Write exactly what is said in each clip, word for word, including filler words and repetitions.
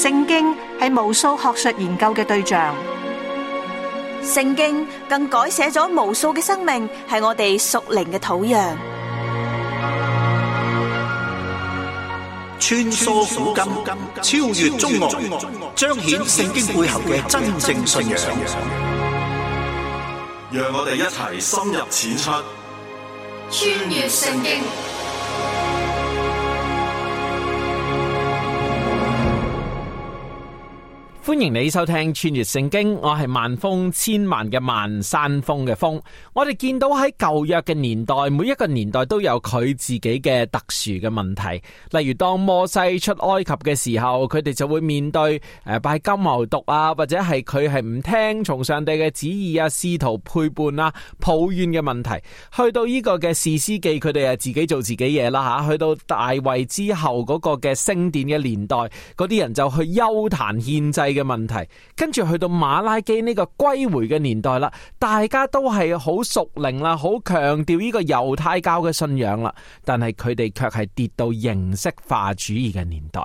聖經係無數學術研究嘅對象，聖經更改寫咗無數嘅生命，係我哋屬靈嘅土壤。穿梭古今，超越中外，彰顯聖經背後嘅真正信仰。讓我哋一齊深入淺出，穿越聖經。歡迎你收聽穿越聖經，我係萬峰千萬嘅萬山峰嘅峰。我哋見到喺舊約嘅年代，每一個年代都有佢自己嘅特殊嘅問題。例如當摩西出埃及嘅時候，佢哋就會面對誒拜金牛犢啊，或者係佢係唔聽從上帝嘅旨意啊，試圖背叛啊，抱怨嘅問題。去到呢個嘅士師記，佢哋係自己做自己嘢啦吓。去到大衛之後嗰個嘅聖殿嘅年代，嗰啲人就去邱壇獻祭嘅問題，跟住去到馬拉基呢個歸回嘅年代啦，大家都係好屬靈啦，好強調呢個猶太教嘅信仰啦，但係佢哋卻係跌到形式化主義嘅年代，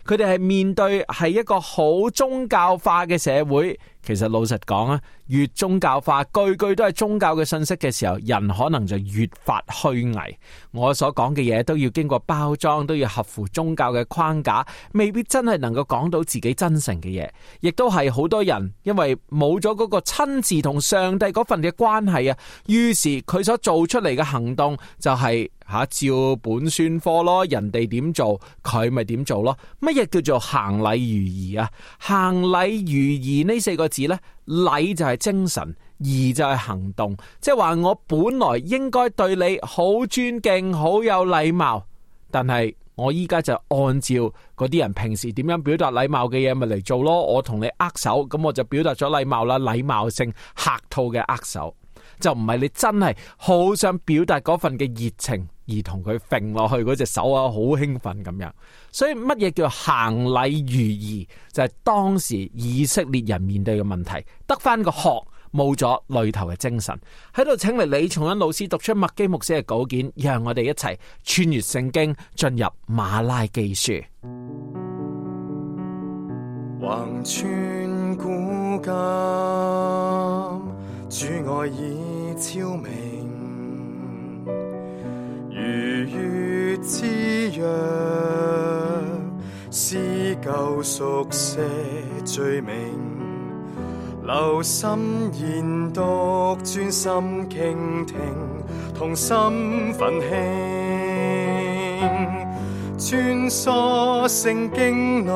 佢哋係面對係一個好宗教化嘅社會。其實老實講啊，越宗教化，句句都係宗教嘅信息嘅時候，人可能就越發虛偽。我所講嘅嘢都要經過包裝，都要合乎宗教嘅框架，未必真係能夠講到自己真誠嘅嘢。亦都係好多人因為冇咗嗰個親自同上帝嗰份嘅關係啊，於是佢所做出嚟嘅行動就係、是。吓，照本宣科咯，人哋點做佢咪點做咯。乜嘢叫做行禮如儀啊？行禮如儀呢四個字呢，禮就係精神，儀就係行動，即係話我本來應該對你好尊敬，好有禮貌，但係我依家就按照嗰啲人平時點樣表達禮貌嘅嘢咪嚟做咯。我同你握手，咁我就表達咗禮貌啦，禮貌性客套嘅握手，就唔係你真係好想表達嗰份嘅熱情而同佢揈落去嗰隻手啊，好興奮咁樣。所以乜嘢叫行禮如儀，就係當時以色列人面對嘅問題，得翻個殼，冇咗裏頭嘅精神。喺度請嚟李松恩老師讀出麥基牧師嘅稿件，讓我哋一齊穿越聖經，進入馬拉基書。橫穿古今，主愛已昭明，如月之約，撕舊熟寫罪名，留心研讀，專心傾聽，同心奮興，穿梭聖經內，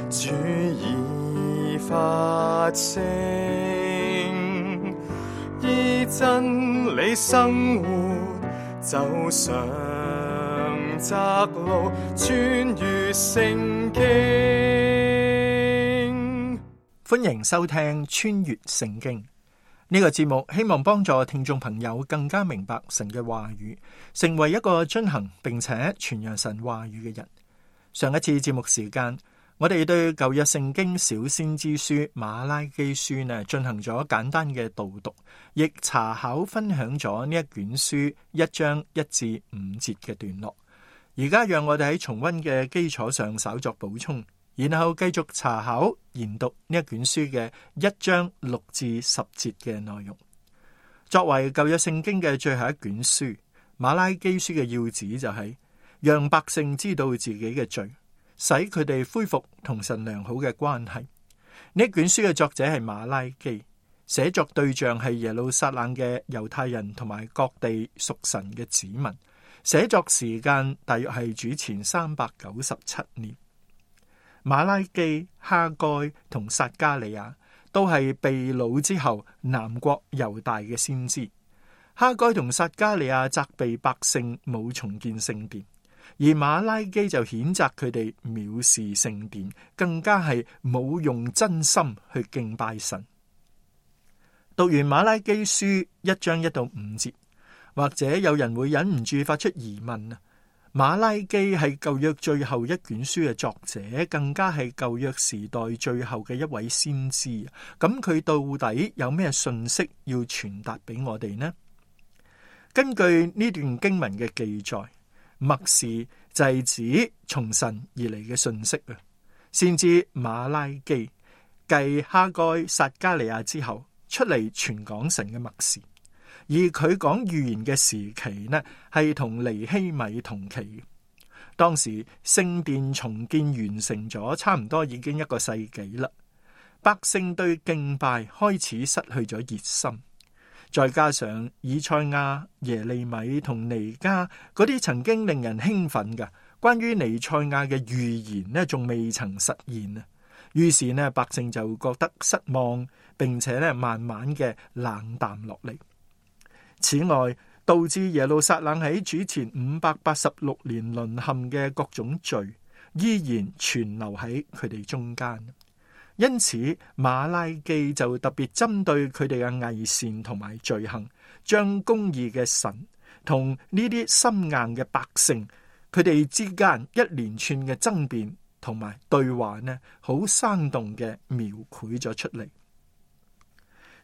主已發聲，依真理生活，走上窄路，穿越聖經。歡迎收聽穿越聖經呢個節目，希望幫助聽眾朋友更加明白神嘅話語，成為一個遵行並且傳揚神話語嘅人。上一次節目時間，我哋對舊約聖經小先知書馬拉基書呢進行咗簡單嘅導讀，亦查考分享咗呢一卷書一章一至五節嘅段落。而家讓我哋喺重溫嘅基礎上稍作補充，然後繼續查考研讀呢一卷書嘅一章六至十節嘅內容。作為舊約聖經嘅最後一卷書，馬拉基書嘅要旨就係讓百姓知道自己嘅罪，使佢哋恢復同神良好嘅關係。呢卷書嘅作者係馬拉基，寫作對象係耶路撒冷嘅猶太人同埋各地屬神嘅子民。寫作時間大約係主前三百九十七年。馬拉基、哈該同撒迦利亞都係被擄之後南國猶大嘅先知。哈該同撒迦利亞責備百姓冇重建聖殿，而馬拉基就譴責佢哋藐視聖殿，更加係冇用真心去敬拜神。讀完馬拉基書一章一到五節，或者有人會忍唔住發出疑問啊，馬拉基係舊約最後一卷書嘅作者，更加係舊約時代最後嘅一位先知，咁佢到底有咩信息要傳達俾我哋呢？根據呢段經文嘅記載，默示就係指從神而嚟嘅信息啊，先知馬拉基繼哈該、撒迦利亞之後出嚟傳講神嘅默示，而佢講預言嘅時期呢，係同尼希米同期。當時聖殿重建完成咗，差唔多已經一個世紀啦。百姓對敬拜開始失去咗熱心，再加上以賽亞、耶利米同彌迦嗰啲曾經令人興奮嘅關於彌賽亞嘅預言呢，仲未曾實現啊。於是呢，百姓就覺得失望，並且呢慢慢嘅冷淡落嚟。此外，導致耶路撒冷喺主前五百八十六年淪陷嘅各種罪，依然存留喺佢哋中間。因此，馬拉基就特別針對佢哋嘅偽善同埋罪行，將公義嘅神同呢啲心硬嘅百姓，佢哋之間一連串嘅爭辯同埋對話呢，好生動嘅描繪咗出嚟。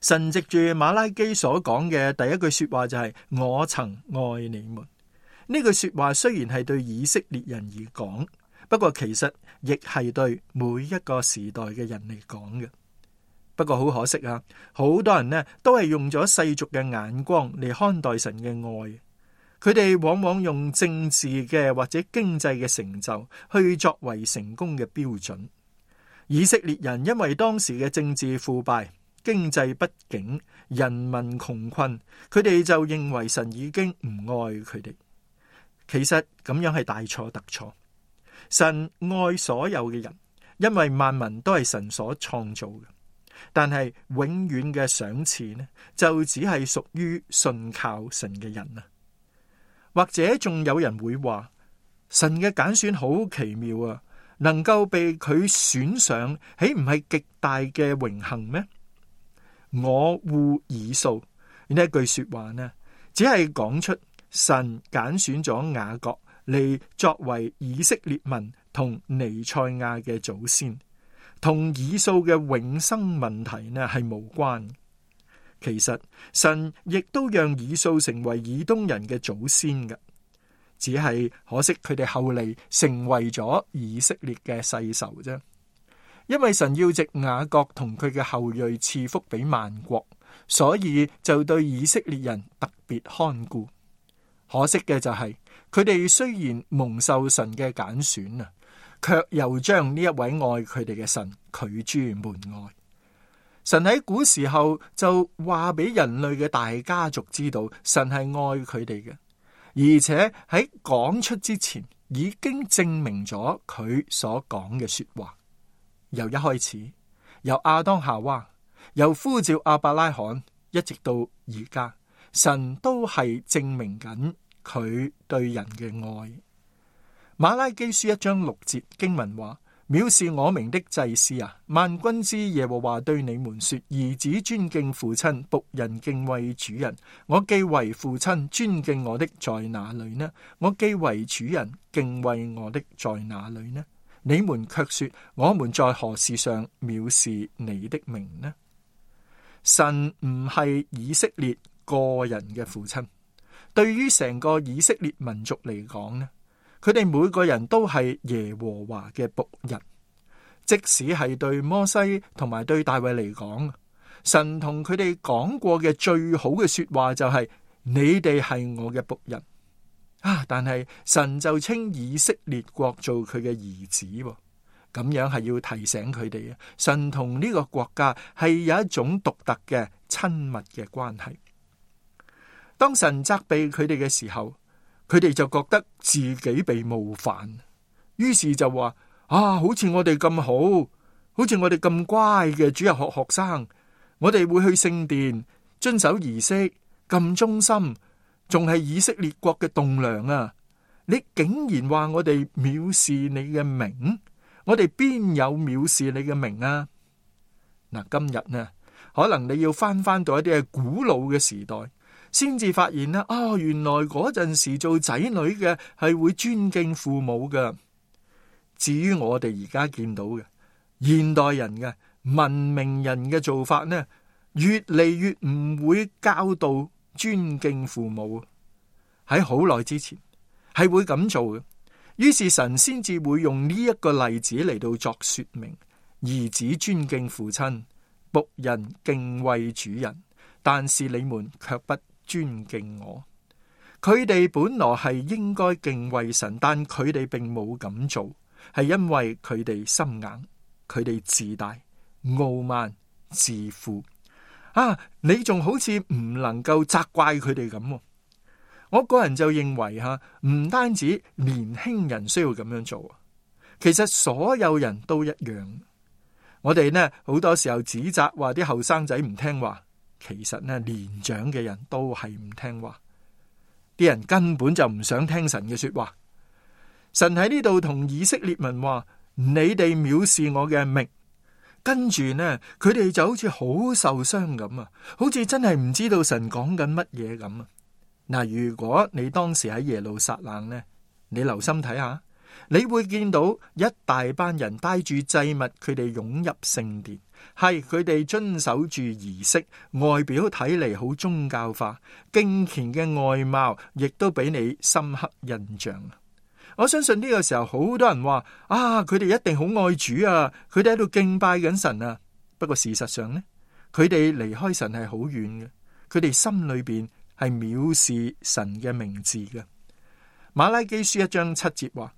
神藉住馬拉基所講嘅第一句說話就係、是、我曾愛你們。呢句說話雖然係對以色列人而講，不過其實亦係對每一個時代嘅人嚟講嘅。不過好可惜啊，好多人呢都係用咗世俗嘅眼光嚟看待神嘅愛。佢哋往往用政治嘅或者經濟嘅成就去作為成功嘅標準。以色列人因為當時嘅政治腐敗、經濟不景、人民窮困，佢哋就認為神已經唔愛佢哋。其實咁樣係大錯特錯。神愛所有嘅人，因為萬民都係神所創造嘅。但係永遠嘅賞賜呢，就只係屬於信靠神嘅人啊。或者仲有人會話，神嘅揀選好奇妙啊，能夠被佢選上，豈唔係極大嘅榮幸咩？我惡以掃呢一句說話呢，只係講出神揀選咗雅各嚟作為以色列民同彌賽亞嘅祖先，同以掃嘅永生問題呢係無關。其實神亦都讓以掃成為以東人嘅祖先嘅，只係可惜佢哋後嚟成為咗以色列嘅世仇啫。因為神要藉雅各同佢嘅後裔賜福俾萬國，所以就對以色列人特別看顧。可惜嘅就係佢哋雖然蒙受神嘅揀選啊，卻又將呢一位愛佢哋嘅神拒諸門外。神喺古時候就話俾人類嘅大家族知道，神係愛佢哋嘅，而且喺講出之前已經證明咗佢所講嘅說話。由一開始，由亞當夏娃，由呼召亞伯拉罕，一直到而家，神都係證明緊佢對人嘅愛。馬拉基書一章六節經文話：藐視我名的祭司啊，萬軍之耶和華對你們說，兒子尊敬父親，僕人敬畏主人。我既為父親，尊敬我的在哪裏呢？我既為主人，敬畏我的在哪裏呢？你們卻說，我們在何事上藐視你的名呢？神唔係以色列個人嘅父親，對於成個以色列民族嚟講呢，佢哋每個人都係耶和華嘅僕人。即使係對摩西同埋對大衛嚟講，神同佢哋講過嘅最好嘅說話就係、是、你哋係我嘅僕人啊！但係神就稱以色列國做佢嘅兒子，咁樣係要提醒佢哋啊，神同呢個國家係有一種獨特嘅親密嘅關係。當神責備佢哋嘅時候，佢哋就覺得自己被冒犯，於是就話啊，好似我哋咁好，好似我哋咁乖嘅主日學學生，我哋會去聖殿遵守儀式，咁忠心，仲係以色列國嘅棟梁啊！你竟然話我哋藐視你嘅名，我哋邊有藐視你嘅名啊？嗱，今日呢，可能你要翻翻到一啲係古老嘅時代，先至發現啦，哦，原來嗰陣時做仔女嘅係會尊敬父母㗎。至於我哋而家見到嘅現代人嘅文明人嘅做法呢，越嚟越唔會教導尊敬父母。喺好耐之前係會咁做嘅，於是神先至會用呢一個例子嚟到作說明：兒子尊敬父親，僕人敬畏主人，但是你們卻不尊敬我。佢哋本來係應該敬畏神，但佢哋並冇咁做，係因為佢哋心硬，佢哋自大、傲慢、自負。啊，你仲好似唔能夠責怪佢哋咁。我個人就認為吓，唔單止年輕人需要咁樣做，其實所有人都一樣。我哋呢好多時候指責話啲後生仔唔聽話，其實呢年長嘅人都係唔聽話。啲人根本就唔想聽神嘅說話。神喺呢度同以色列民話：你哋藐視我嘅名。跟住呢，佢哋就好似好受傷咁啊，好似真係唔知道神講緊乜嘢咁啊。嗱，如果你當時喺耶路撒冷呢，你留心睇下，你會見到一大班人帶住祭物，佢哋湧入聖殿，係佢哋遵守住儀式，外表睇嚟好宗教化，敬虔嘅外貌亦都俾你深刻印象。我相信呢個時候好多人話啊，佢哋一定好愛主啊，佢哋喺度敬拜緊神啊。不過事實上呢，佢哋離開神係好遠嘅，佢哋心裏邊係藐視神嘅名字嘅。馬拉基書一章七節話：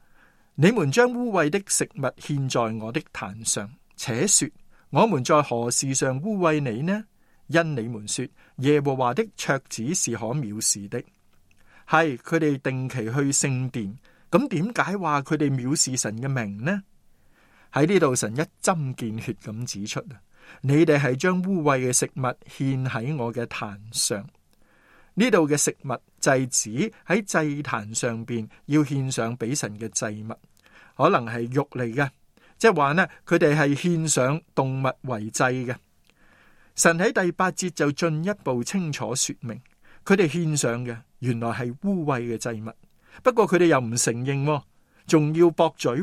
你們將污穢的食物獻在我的壇上，且說我們在何事上污穢你呢？因你們說耶和華的桌子是可藐視的。係佢哋定期去聖殿，咁點解話佢哋藐視神嘅名呢？喺呢度神一針見血咁指出啊，你哋係將污穢嘅食物獻喺我嘅壇上。呢度嘅食物就係指喺祭壇上邊要獻上俾神嘅祭物，可能係肉嚟嘅，即係話呢，佢哋係獻上動物為祭嘅。神喺第八節就進一步清楚說明，佢哋獻上嘅原來係污穢嘅祭物，不過佢哋又唔承認，仲要駁嘴，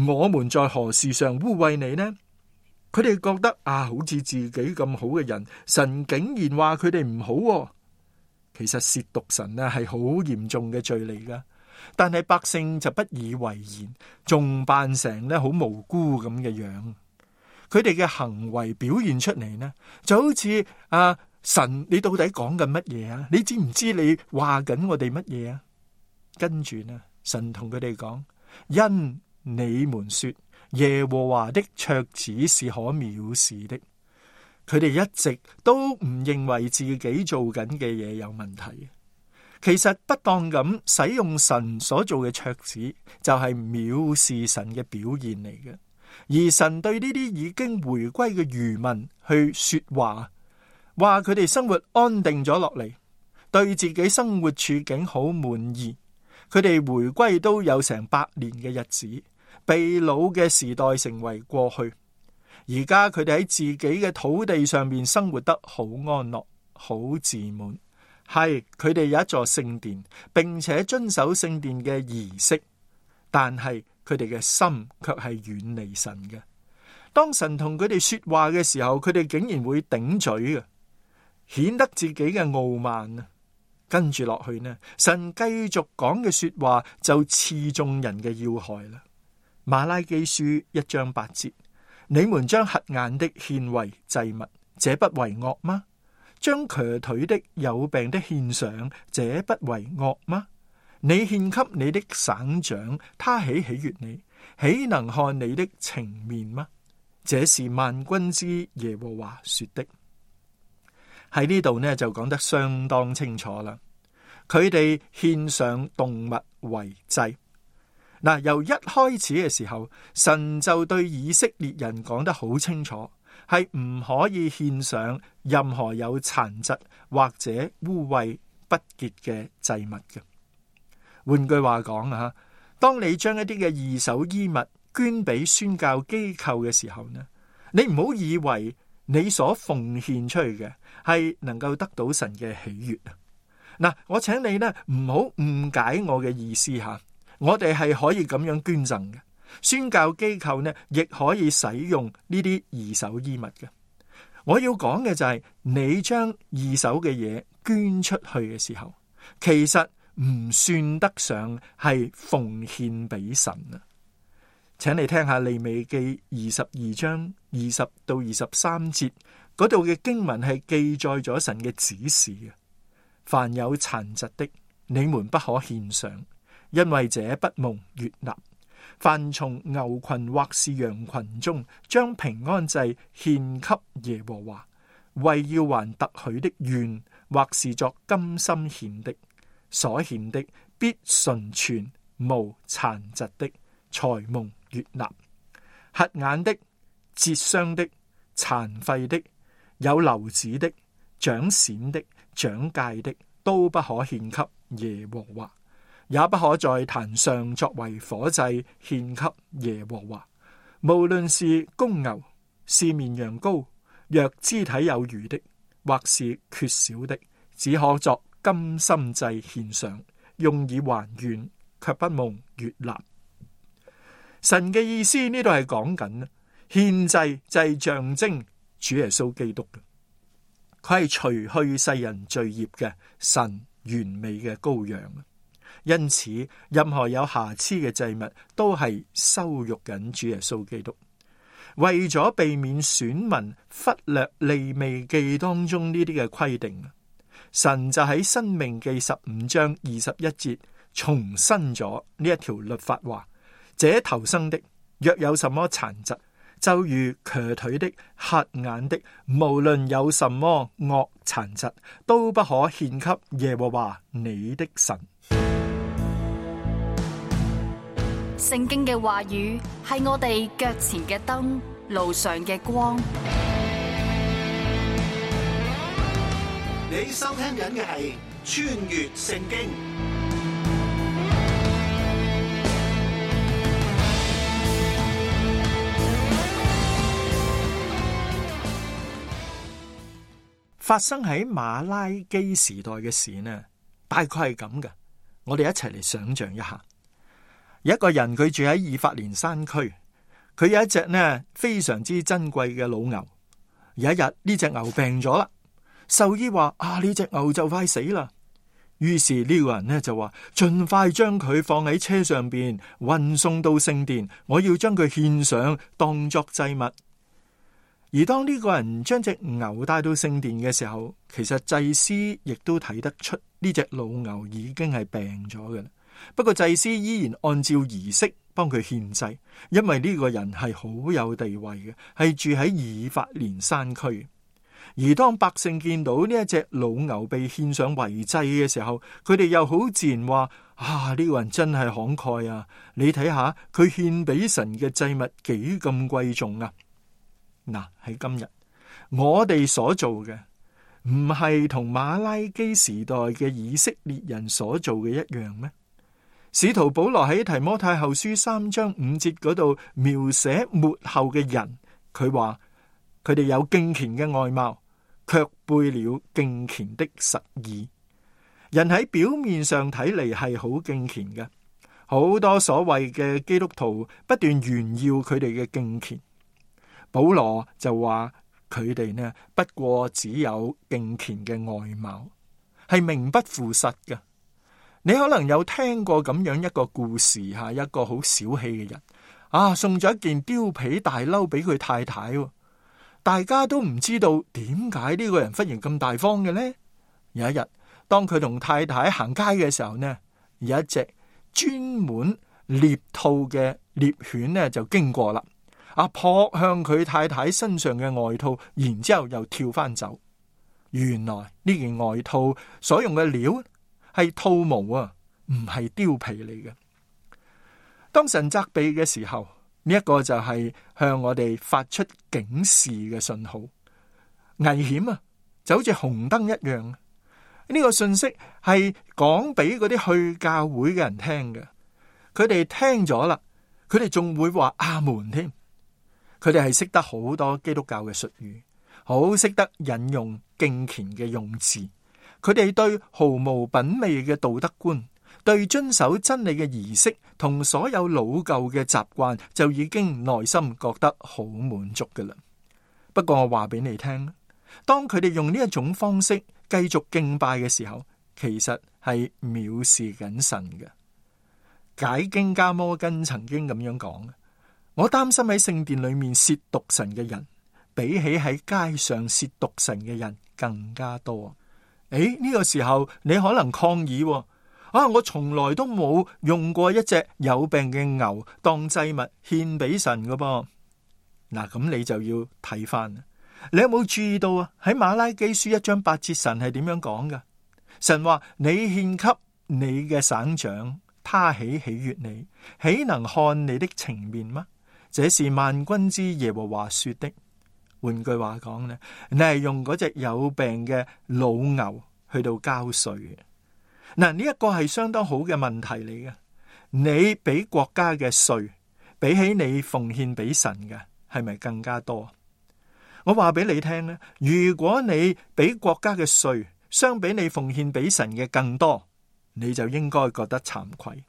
我們在何事上污穢你呢？佢哋覺得啊，好似自己咁好嘅人，神竟然話佢哋唔好。其實褻瀆神呢係好嚴重嘅罪嚟噶，但係百姓就不以為然，仲扮成呢好無辜咁嘅樣。佢哋嘅行為表現出嚟呢，就好似啊，神你到底講緊乜嘢啊？你知唔知你話緊我哋乜嘢啊？跟住呢，神同佢哋講：因你們說耶和華的桌子是可藐視的。佢哋一直都唔認為自己做緊嘅嘢有問題。其實不當咁使用神所做嘅桌子，就係藐視神嘅表現嚟嘅。而神對呢啲已經回歸嘅餘民去說話，話佢哋生活安定咗落嚟，對自己生活處境好滿意。佢哋回歸都有成百年嘅日子，被擄嘅時代成為過去。而家佢哋喺自己嘅土地上面生活得好安樂、好自滿。係佢哋有一座聖殿，並且遵守聖殿嘅儀式，但係佢哋嘅心卻係遠離神嘅。當神同佢哋說話嘅時候，佢哋竟然會頂嘴嘅，顯得自己嘅傲慢啊！跟住落去呢，神繼續講嘅說話就刺中人嘅要害啦。馬拉基書一章八節。你們將瞎眼的獻為祭物，這不為惡嗎？將瘸腿的有病的獻上，這不為惡嗎？你獻給你的省長，他豈喜悅你？豈能看你的情面嗎？這是萬軍之耶和華說的。喺呢度呢就講得相當清楚啦。佢哋獻上動物為祭。嗱，由一開始嘅時候，神就對以色列人講得好清楚，係唔可以獻上任何有殘疾或者污穢不潔嘅祭物嘅。換句話講啊，當你將一啲嘅二手衣物捐俾宣教機構嘅時候呢，你唔好以為你所奉獻出去嘅係能夠得到神嘅喜悅啊！嗱，我請你呢唔好誤解我嘅意思吓。我哋係可以咁樣捐贈嘅，宣教機構呢亦可以使用呢啲二手衣物嘅。我要講嘅就係，你將二手嘅嘢捐出去嘅時候，其實唔算得上係奉獻俾神啊。請你聽下利未記二十二章二十到二十三節嗰度嘅經文，係記載咗神嘅指示嘅。凡有殘疾的，你們不可獻上，因為這不蒙悅納。凡從牛群或是羊群中將平安祭獻給耶和華，為要還特許的願，或是作甘心獻的，所獻的必純全無殘疾的，才蒙悅納。瞎眼的、折傷的、殘廢的、有瘤子的、長癬的、長疥的，都不可獻給耶和華，也不可在壇上作為火祭獻給耶和華。無論是公牛，是綿羊羔，若肢體有餘的，或是缺少的，只可作甘心祭獻上，用以還願，卻不蒙悅納。神嘅意思呢度係講緊獻祭就係象徵主耶穌基督嘅，佢係除去世人罪孽嘅神完美嘅羔羊。因此任何有瑕疵嘅祭物都係羞辱緊主耶穌基督。為咗避免選民忽略利未記當中呢啲嘅規定，神就喺申命記十五章二十一節重申咗呢一條律法，話這頭生的若有什麼殘疾，就如瘸腿的、瞎眼的，無論有什麼惡殘疾，都不可獻給耶和華你的神。聖經嘅話語係我哋腳前嘅燈，路上嘅光。你收聽緊嘅係穿越聖經。發生喺馬拉基時代嘅事呢，大概係咁嘅。我哋一齊嚟想象一下，有一個人佢住喺以法蓮山區，佢有一隻呢非常之珍貴嘅老牛。有一日呢隻牛病咗啦，獸醫話啊，呢隻牛就快死啦。於是呢個人呢就話，盡快將佢放喺車上邊運送到聖殿，我要將佢獻上當作祭物。而當呢個人將隻牛帶到聖殿嘅時候，其實祭司亦都睇得出呢隻老牛已經係病咗嘅啦。不過祭司依然按照儀式幫佢獻祭，因為呢個人係好有地位嘅，係住喺以法蓮山區。而當百姓見到呢一隻老牛被獻上為祭嘅時候，佢哋又好自然話：啊，呢個人真係慷慨啊！你睇下佢獻俾神嘅祭物幾咁貴重啊！嗱，喺今日我哋所做嘅唔係同馬拉基時代嘅以色列人所做嘅一樣咩？使徒保羅喺提摩太後書三章五節嗰度描寫末後嘅人，佢話佢哋有敬虔嘅外貌，卻背了敬虔的實意。人喺表面上睇嚟係好敬虔嘅，好多所謂嘅基督徒不斷炫耀佢哋嘅敬虔。保羅就話佢哋呢，不過只有敬虔嘅外貌，係名不副實嘅。你可能有聽過咁樣一個故事吓，一個好小氣嘅人啊，送咗一件貂皮大褸俾佢太太，大家都唔知道點解呢個人忽然咁大方嘅呢？有一日，當佢同太太行街嘅時候呢，有一隻專門獵兔嘅獵犬呢就經過啦。阿撲向佢太太身上嘅外套，然之後又跳翻走。原來呢件外套所用嘅料係兔毛啊，唔係貂皮嚟嘅。當神責備嘅時候，呢一個就係向我哋發出警示嘅信號，危險啊，就好似紅燈一樣。呢個信息係講俾嗰啲去教會嘅人聽嘅，佢哋聽咗啦，佢哋仲會話阿門添。佢哋係識得好多基督教嘅術語，好識得引用敬虔嘅用字。佢哋對毫無品味嘅道德觀，對遵守真理嘅儀式同所有老舊嘅習慣，就已經內心覺得好滿足㗎喇。不過我話俾你聽，當佢哋用呢一種方式繼續敬拜嘅時候，其實係藐視緊神嘅。解經家摩根曾經咁樣講：我擔心喺聖殿裏面褻瀆神嘅人，比起喺街上褻瀆神嘅人更加多。誒，呢個時候你可能抗議喎，啊，我從來都冇用過一隻有病嘅牛當祭物獻俾神㗎噃。嗱，咁你就要睇翻，你有冇注意到啊？喺馬拉基書一章八節，神係點樣講㗎？神話：你獻給你嘅省長，他豈喜悅你，豈能看你的情面嗎？這是萬軍之耶和華說的。換句話講呢，你係用嗰隻有病嘅老牛去到交稅嘅。嗱，呢一個係相當好嘅問題嚟嘅。你俾國家嘅稅，比起你奉獻俾神嘅，係咪更加多？我話俾你聽咧，如果你俾國家嘅稅相比你奉獻俾神嘅更多，你就應該覺得慚愧。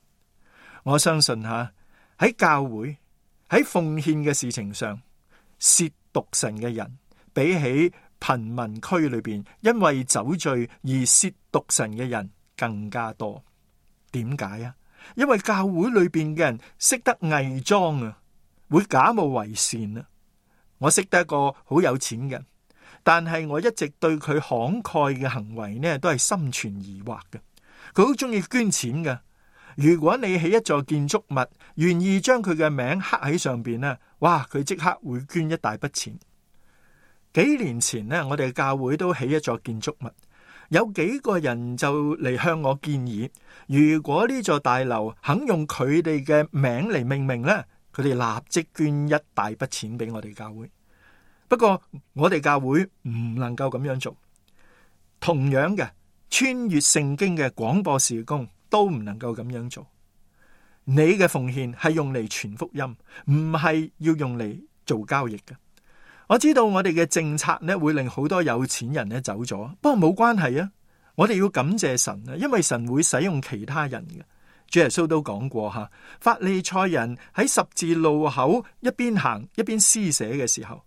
我相信吓，喺教會喺奉獻嘅事情上，褻瀆神嘅人比起貧民區裏邊因為酒醉而褻瀆神嘅人更加多。點解啊？因為教會裏邊嘅人識得偽裝啊，會假冒為善啊。我識得一個好有錢嘅，但係我一直對佢慷慨嘅行為呢都係心存疑惑嘅。佢好中意捐錢嘅。如果你起一座建築物，願意將佢嘅名刻喺上邊呢，哇，佢即刻會捐一大筆錢。幾年前呢，我哋教會都起一座建築物，有幾個人就嚟向我建議，如果呢座大樓肯用佢哋嘅名嚟命名呢，佢哋立即捐一大筆錢俾我哋教會。不過我哋教會唔能夠咁樣做。同樣嘅，穿越聖經嘅廣播事工都唔能夠咁樣做。你嘅奉獻係用嚟傳福音，唔係要用嚟做交易嘅。我知道我哋嘅政策呢會令好多有錢人呢走咗，不過冇關係啊。我哋要感謝神啊，因為神會使用其他人嘅。主耶穌都講過吓，法利賽人喺十字路口一邊行一邊施捨嘅時候，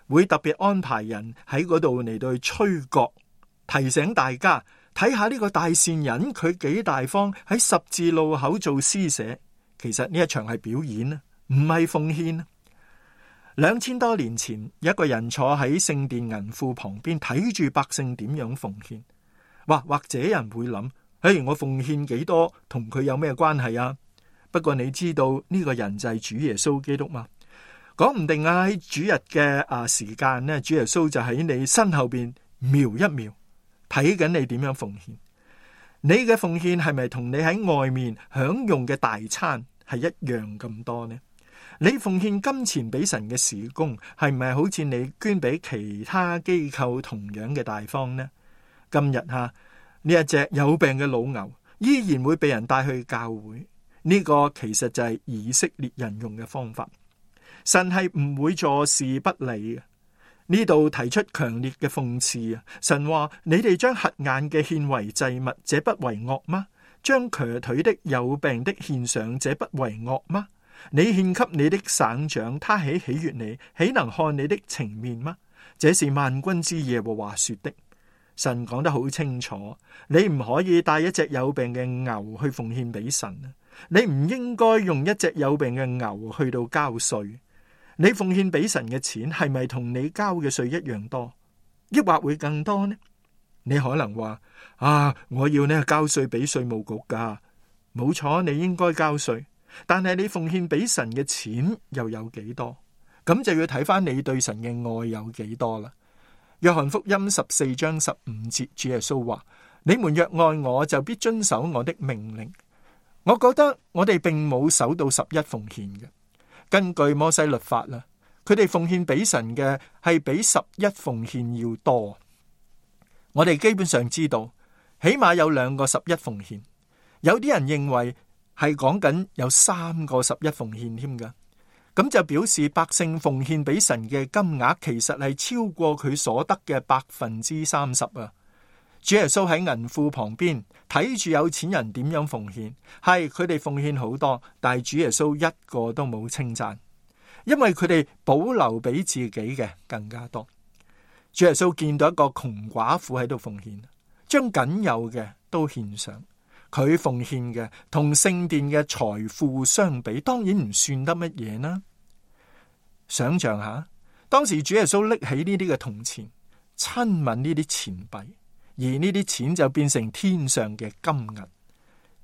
會特別安排人喺嗰度嚟到去吹角，提醒大家睇下呢個大善人佢幾大方，喺十字路口做施捨。其實呢一場係表演啊，唔係奉獻。兩千多年前，有一個人坐喺聖殿銀庫旁邊睇住百姓點樣奉獻。或或者人會諗，誒，我奉獻幾多同佢有咩關係啊？不過你知道呢個人就係主耶穌基督嘛？講唔定啊，喺主日嘅啊時間呢，主耶穌就喺你身後邊瞄一瞄，睇緊你點樣奉獻。你嘅奉獻係咪同你喺外面享用嘅大餐係一樣咁多呢？你奉獻金錢俾神嘅事工，係咪好似你捐俾其他機構同樣嘅大方呢？今日吓，呢一隻有病嘅老牛依然會被人帶去教會，呢個其實就係以色列人用嘅方法。神係唔會坐視不理嘅。呢度提出強烈嘅諷刺啊！神話，你哋將瞎眼嘅獻為祭物，這不為惡嗎？將瘸腿的有病的獻上，這不為惡嗎？你獻給你的省長，他豈喜悅你，豈能看你的情面嗎？這是萬軍之耶和華說的。神講得好清楚，你唔可以帶一隻有病嘅牛去奉獻俾神啊！你唔應該用一隻有病嘅牛去到交稅。你奉獻俾神嘅錢係咪同你交嘅稅一樣多，抑或會更多呢？你可能話啊，我要呢交稅俾稅務局噶，冇錯，你應該交稅，但係你奉獻俾神嘅錢又有幾多？咁就要睇翻你對神嘅愛有幾多啦。約翰福音十四章十五節，主耶穌話：你們若愛我，就必遵守我的命令。我覺得我哋並冇守到十一奉獻嘅。根據摩西律法啦，佢哋奉獻俾神嘅係比十一奉獻要多。我哋基本上知道，起碼有兩個十一奉獻。有啲人認為係講緊有三個十一奉獻添㗎，咁就表示百姓奉獻俾神嘅金額其實係超過佢所得嘅百分之三十啊！主耶穌喺銀庫旁邊睇住有錢人點樣奉獻，係佢哋奉獻好多，但係主耶穌一個都冇稱讚，因為佢哋保留俾自己嘅更加多。主耶穌見到一個窮寡婦喺度奉獻，將僅有嘅都獻上。佢奉獻嘅同聖殿嘅財富相比，當然唔算得乜嘢啦。想象下，當時主耶穌拎起呢啲嘅銅錢，親吻呢啲錢幣，而呢啲錢就變成天上嘅金銀。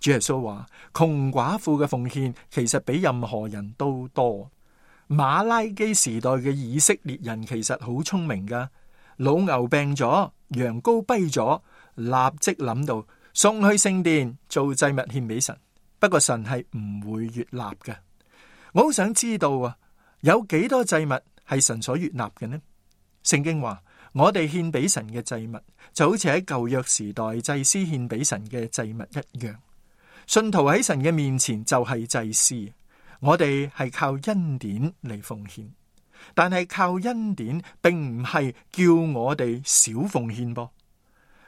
主耶穌話，窮寡婦嘅奉獻其實比任何人都多。馬拉基時代嘅以色列人其實好聰明噶，老牛病咗，羊羔跛咗，立即諗到送去聖殿做祭物獻俾神。不過神係唔會悅納嘅。我好想知道啊，有幾多祭物係神所悅納嘅呢？聖經話，我哋獻俾神嘅祭物就好似喺舊約時代祭司獻俾神嘅祭物一樣。信徒喺神嘅面前就係祭司，我哋係靠恩典嚟奉獻，但係靠恩典並唔係叫我哋少奉獻噃。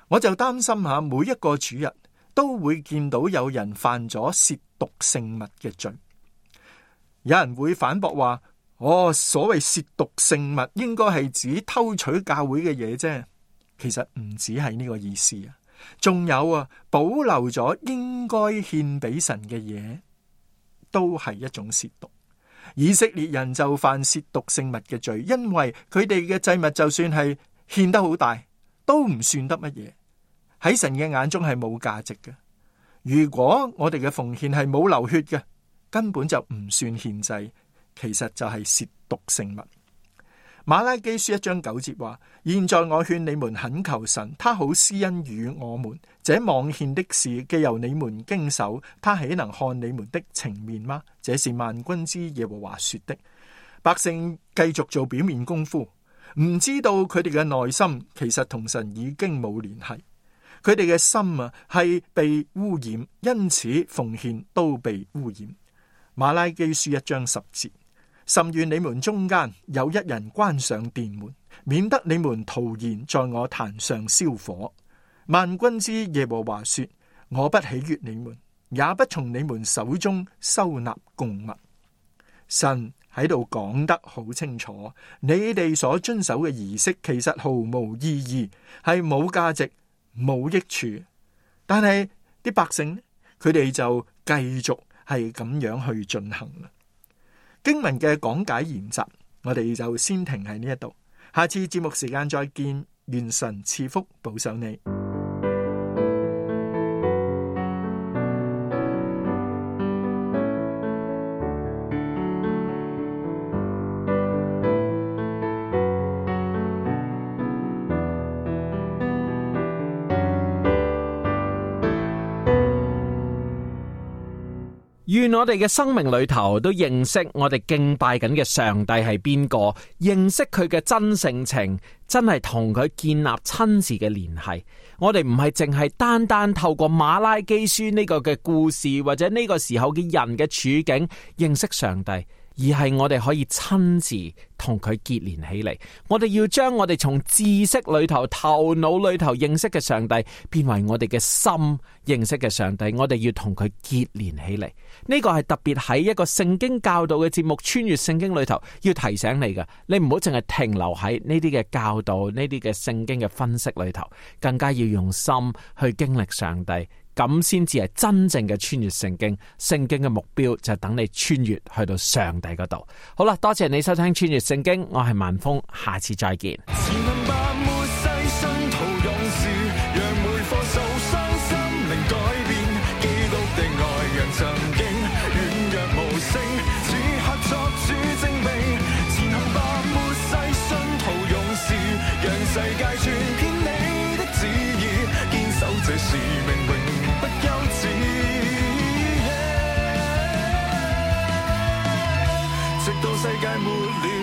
我就擔心下，每一個主日都會見到有人犯咗褻瀆聖物嘅罪。有人會反駁話，哦，所謂褻瀆聖物應該係指偷取教會嘅嘢啫。其實唔止係呢個意思啊，仲有啊，保留咗應該獻俾神嘅嘢，都係一種褻瀆。以色列人就犯褻瀆聖物嘅罪，因為佢哋嘅祭物就算係獻得好大，都唔算得乜嘢，喺神嘅眼中係冇價值嘅。如果我哋嘅奉獻係冇流血嘅，根本就唔算獻祭，其實就係褻瀆聖物。馬拉基書一章九節話，現在我勸你們懇求神，他好施恩與我們，這妄獻的事既由你們經手，他豈能看你們的情面嗎？這是萬軍之耶和華說的。百姓繼續做表面功夫，唔知道佢哋嘅內心其實同神已經冇聯繫，佢哋嘅心啊係被污染，因此奉獻都被污染。馬拉基書一章十節，甚願你們中間有一人關上殿門，免得你們徒然在我壇上燒火。萬軍之耶和華說，我不喜悅你們，也不從你們手中收納供物。神喺度講得好清楚，你哋所遵守嘅儀式其實毫無意義，係冇價值、冇益處。但係啲百姓，佢哋就繼續係咁樣去進行啦。經文嘅講解研習，我哋就先停喺呢一度。下次節目時間再見，願神賜福保守你。願我哋嘅生命裏頭都認識我哋敬拜緊嘅上帝係邊個，認識佢嘅真性情，真係同佢建立親自嘅聯繫。我哋唔係淨係單單透過馬拉基書呢個嘅故事，或者呢個時候嘅人嘅處境認識上帝，而係我哋可以親自同佢結連起嚟。我哋要將我哋從知識裏頭、頭腦裏頭認識嘅上帝，變為我哋嘅心認識嘅上帝。我哋要同佢結連起嚟。呢個係特別喺一個聖經教導嘅節目《穿越聖經》裏頭要提醒你嘅。你唔好淨係停留喺呢啲嘅教導、呢啲嘅聖經嘅分析裏頭，更加要用心去經歷上帝。咁先至係真正嘅穿越聖經。聖經嘅目標就係等你穿越去到上帝嗰度。好啦，多謝你收聽穿越聖經，我係萬峰，下次再見。世界末了